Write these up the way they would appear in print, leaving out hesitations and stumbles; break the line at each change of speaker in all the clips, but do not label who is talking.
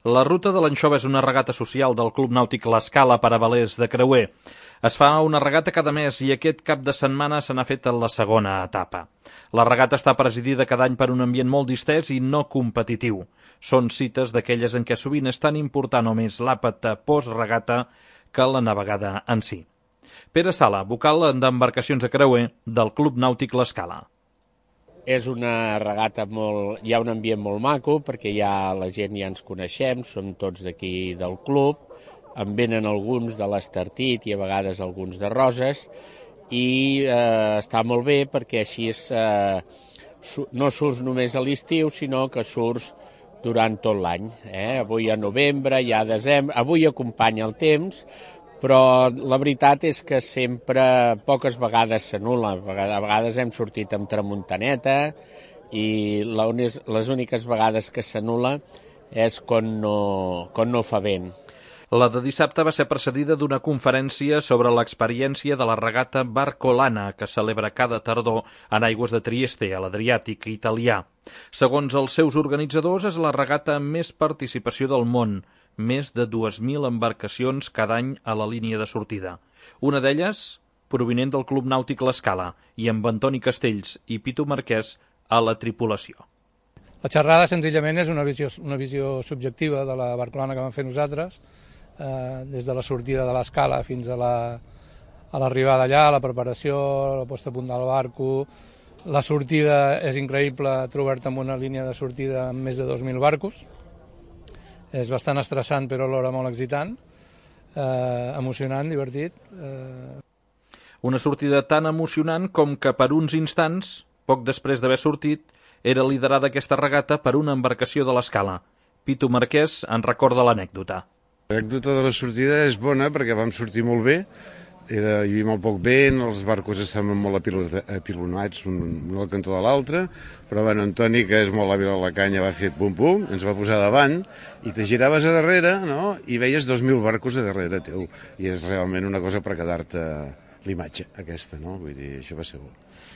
La ruta de l'Anxova és una regata social del Club Nàutic L'Escala per a velers de creuer. Es fa una regata cada mes i aquest cap de setmana se n'ha fet la segona etapa. La regata està presidida cada any per un ambient molt distès i no competitiu. Són cites d'aquelles en què sovint és tan important o més l'àpat post-regata que la navegada en si. Pere Sala, vocal d'embarcacions a creuer del Club Nàutic L'Escala.
És una regata hi ha un ambient molt maco, perquè la gent ja ens coneixem, som tots d'aquí del club, en venen alguns de l'Estartit i a vegades alguns de Roses, i està molt bé perquè així no surts només a l'estiu, sinó que surts durant tot l'any. Avui a novembre, ja a desembre, avui acompanya el temps, però la veritat és que sempre, poques vegades s'anul·la. A vegades hem sortit amb tramuntaneta i les úniques vegades que s'anul·la és quan no fa vent.
La de dissabte va ser precedida d'una conferència sobre l'experiència de la regata Barcolana, que celebra cada tardor en aigües de Trieste, a l'Adriàtic italià. Segons els seus organitzadors, és la regata amb més participació del món, més de 2.000 embarcacions cada any a la línia de sortida. Una d'elles provinent del Club Nàutic L'Escala i amb Antoni Castells i Pitu Marquès a la tripulació.
La xerrada senzillament és una visió subjectiva de la barcolana que vam fer nosaltres, des de la sortida de l'Escala fins a l'arribada allà, la preparació, la posta a punt del barco. La sortida és increïble, trobar-te amb una línia de sortida amb més de 2.000 barcos. És bastant estressant, però alhora molt excitant, emocionant, divertit.
Una sortida tan emocionant com que per uns instants, poc després d'haver sortit, era liderada aquesta regata per una embarcació de l'Escala. Pitu Marquès en recorda l'anècdota.
L'anècdota de la sortida és bona perquè vam sortir molt bé, hi havia molt poc vent, els barcos estaven molt apilonats un al cantó de l'altre, però Antoni, que és molt hàbil a la canya, va fer pum-pum, ens va posar davant, i te giraves a darrere, no?, i veies 2.000 barcos a darrere teu, i és realment una cosa per quedar-te l'imatge aquesta, no?, vull dir, això va ser bo.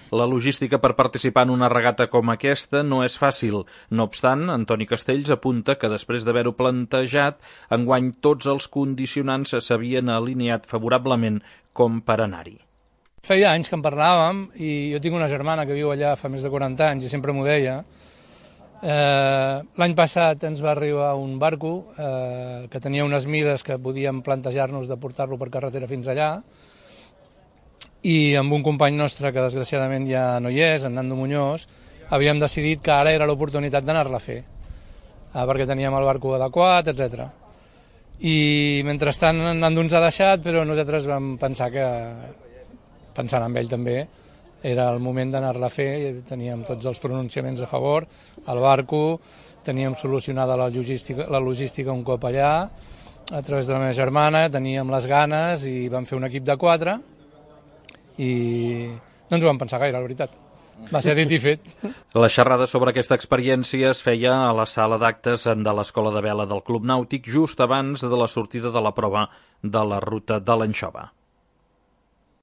La logística per participar en una regata com aquesta no és fàcil. No obstant, Antoni Castells apunta que després d'haver-ho plantejat, enguany tots els condicionants s'havien alineat favorablement com per anar-hi.
Feia anys que en parlàvem i jo tinc una germana que viu allà fa més de 40 anys i sempre m'ho deia. L'any passat ens va arribar un barco que tenia unes mides que podíem plantejar-nos de portar-lo per carretera fins allà, i amb un company nostre, que desgraciadament ja no hi és, en Nando Muñoz, havíem decidit que ara era l'oportunitat d'anar-la a fer, perquè teníem el barco adequat, etc. I mentrestant Nando ens ha deixat, però nosaltres vam pensar que, pensant en ell també, era el moment d'anar-la a fer, i teníem tots els pronunciaments a favor, el barco, teníem solucionada la logística un cop allà, a través de la meva germana, teníem les ganes i vam fer un equip de 4, i no ens ho vam pensar gaire, la veritat. Va ser dit i fet.
La xerrada sobre aquesta experiència es feia a la sala d'actes de l'Escola de Vela del Club Nàutic just abans de la sortida de la prova de la ruta de l'Anxova.